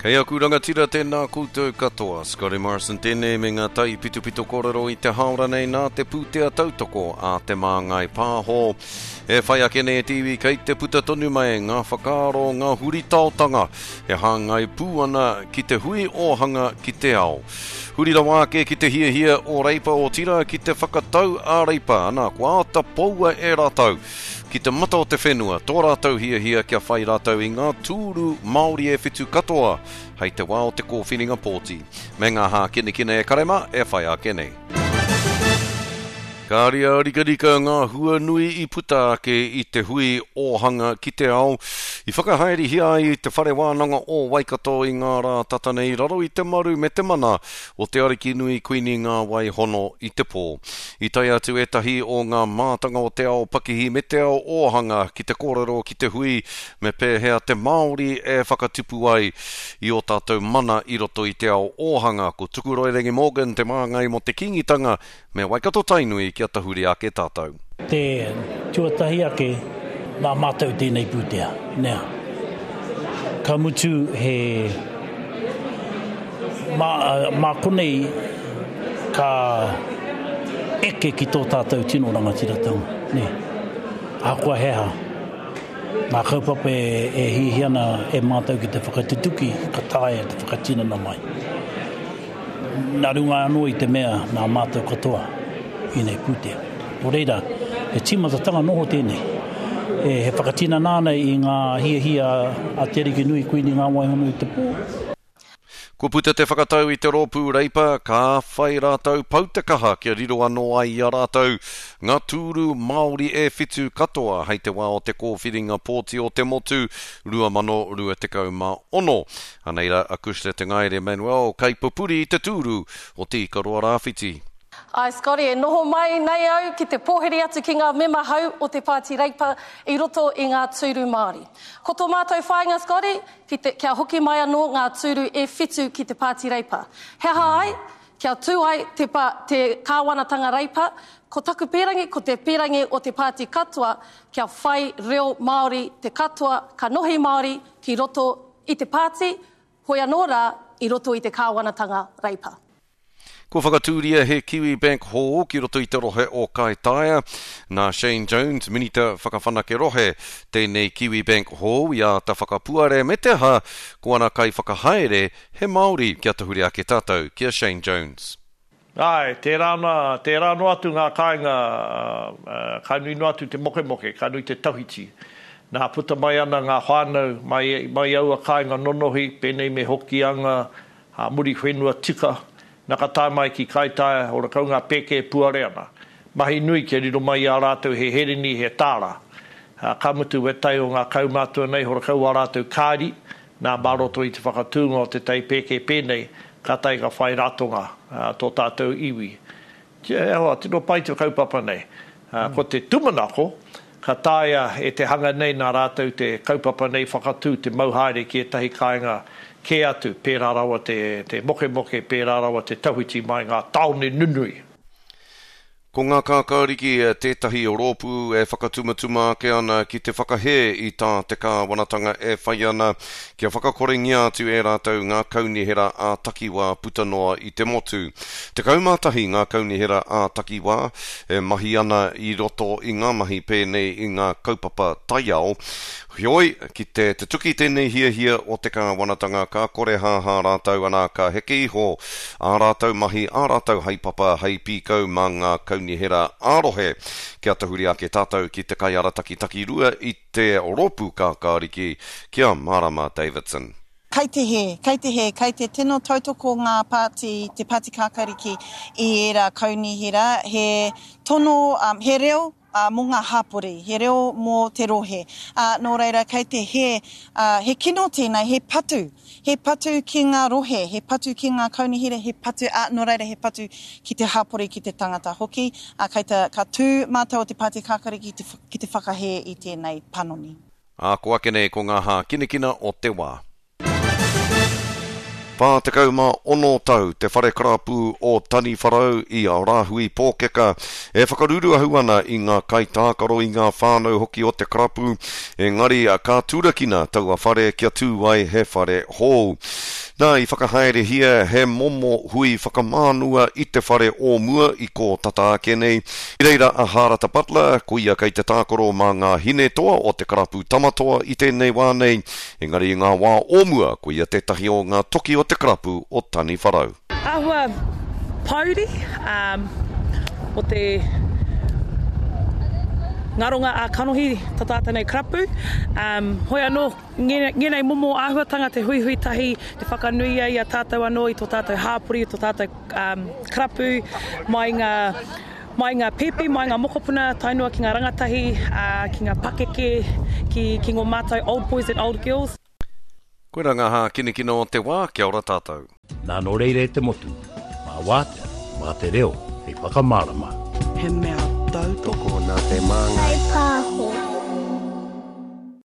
Kei aku rangatira tēnā koutou katoa. Scotty Morrison tēnei me ngā taipitopito kōrero i te hāora nei nā te pūtea tautoko a Te Māngai Pāho. E whai ake nei e te iwi kei te puta tonu mai ngā whakaaro, ngā huritaotanga e hāngai pū ana ki te hui ōhanga ki te ao. Huri rawa ake ki te hiahia o Reipa otirā ki te whakatau a Reipa, ana kua āta poua e rātou ki te mata o te whenua tō rātou hiahia kia whai rātou i ngā tūru Māori e whitu katoa hei te wā o te kōwhiringa pōti, me ngā hākinakina e kare mā e whai ake nei. Ka ariā-rikarika ngā hua nui i puta ake i te hui ōhanga ki te ao i whakahaerehia ai i Te Whare Wānanga o Waikato i ngā rā tata nei i raro i te maru me te mana o Te Arikinui Kuini Ngā Wai Hono i te Pō. I tae atu ētahi o ngā mātanga o te ao pakihi me te ao ōhanga ki te kōrero ki te hui me pēhea te Māori e whakatupu ai i ō tātou mana i roto i te ao ōhanga. Ko Tukuroirangi Morgan te māngai mō te Kīngitanga me Waikato-Tainui kia tahuri ake tātou. Te tuatahi ake, nā mātou tēnei pūtea, nē. Ka mutu he, mā, mā konei ka eke ki tō tātou tino rangatiratanga, nē. Ahakoa he aha ngā kaupapa e hiahia ana e mātou ki te whakatutuki, ka taea te whakatinana mai. Nā runga anō i te mea nā mātou katoa ēnei pūtea. Nō reira, he tīmatatanga noho tēnei. E, he whakatinana ana i ngā hiahia a Te Arikinui Kuini Ngā Waihono i te Pō. Kua puta te whakatau i te rōpū Reipa, ka whai rātou pau te kaha kia riro anō ai i a rātou ngā tūru Māori e whitu katoa hei te wā o te kōwhiringa pōti o te motu 2026. Anei rā a Cushla Te Ngaere Manuel, kaipupuri i te tūru o Te Ikaroa Rāwhiti. Āe Scotty, e noho mai nei au ki te pōhiri atu ki ngā mema hou o te Pāti Reipa i roto i ngā tūru Māori. Ko tō mātou whāinga Scotty, ki te, kia hoki mai anō ngā tūru e whitu ki te Pāti Reipa. He aha ai? Kia tū ai te, te kāwanatanga Reipa, ko taku pīrangi, ko te pīrangi o te pāti katoa, kia whai reo Māori te katoa, kanohi Māori ki roto i te pāti, hoi anō rā i roto i te kāwanatanga Reipa. Kua whakatūria he Kiwibank hou ki roto i te rohe o Kaitaia. Nā Shane Jones, Minita Whakawhanake Rohe, tēnei Kiwibank hou i āta whakapuare me te aha, ko ana kaiwhakahaere he Māori. Kia tahuri ake tātou ki a Shane Jones. Āe, tērā ana, tērā noa atu ngā kāinga, ka nui noa atu te mokemoke, ka nui te tawhiti. Nā, puta mai ana ngā whānau mai, mai aua kāinga nonohi, pēnei me Hokianga, a Muriwhenua tika, nā ka tae mai ki Kaitaia, horakau ngā pēke e puare ana. Mahi nui kia riro mai i a rātou he herini, he tāra. Ka mutu wētahi o ngā kaumātua nei, horakau ā rātou kāri, Nā, mā roto i te whakatūnga o te tai pēke pēnei, kātahi ka whai ratonga tō tātou iwi. E hoa, tino pai te kaupapa nei. Ko te tūmanako, ka taea e te hanga nei nā rātou te kaupapa nei whakatū te mau haere ki ētahi kāinga kē atu, pērā rawa te mokemoke, pērā rawa te tawhiti mai ngā tāone nunui. Ko Ngā Kākāriki tētahi rōpū e whakatumatuma ake ana ki te whakahē i tā te kāwanatanga e whai ana kia whakakorengia atu e rātou ngā kaunihera ā-takiwā puta noa i te motu. 11 ngā kaunihera ā-takiwā e mahi ana i roto i ngā mahi pēnei i ngā kaupapa taiao. Heoi, ki te tutuki tēnei hiahia o te kāwanatanga ka korehāhā rātou ana ka heke iho ā rātou mahi, ā rātou haepapa hei pīkau mā ngā kaunihera ā-rohe. Kia tahuri ake tātou ki te kaiarataki takirua i te Rōpū Kākāriki, ki a Marama Davidson. Kei te hē, kei te hē, kei te tino tautoko ngā pāti, te Pāti Kākāriki i ērā kaunihera, he tono, he reo ā, mō ngā hapori, he reo mō te rohe. Ā, nō reira, kei te hē, ā, he kino tēnei, he patu, he patu ki ngā rohe, he patu ki ngā kaunihera, he patu, ā, nō reira, he patu ki te hapori, ki te tangata hoki. Ā, kei te, ka tū mātou o Te Pāti Kākariki ki te, ki te whakahē i tēnei panoni. Ā, ko ake nei ko ngā hākinakina o te wā. 46 tau te whare karapu o Taniwharau i a Rāhui Pōkeka e whakaruruahu ana i ngā kaitākaro i ngā whānau hoki o te karapu, engari ka turakina taua whare kia tū ai he whare hou. Nā, i whakahaerehia he momo hui whakamānua i te whare o mua i kō tata ake nei. I reira a Hārata Butler, ko ia kei te tākaro mā ngā Hinetoa o te karapu Tamatoa i tēnei wā nei, Engari i ngā wā o mua, ko ia tētahi o ngā toki o te karapu o Taniwharau. Āhua pōuri o te ngaronga ā-kanohi ta tātou nei karapu. Hoi anō, ngēnei momo āhuatanga te huihui tahi, te whakanuia i a tātou anō, i tō tātou hāpori, i tō tātou karapu, mai ngā Mai ngā pēpi, mai ngā mokopuna, tae noa ki ngā rangatahi, ā, ki ngā pakeke, ki, ki ngō mātou old boys and old girls. Koirā ngā hākinakina o te wā, kia ora tātou. Nā nō reira e te motu, mā wātea, mā te reo hei whakamārama. He mea tautoko. Tokona te māngai. Kai pā.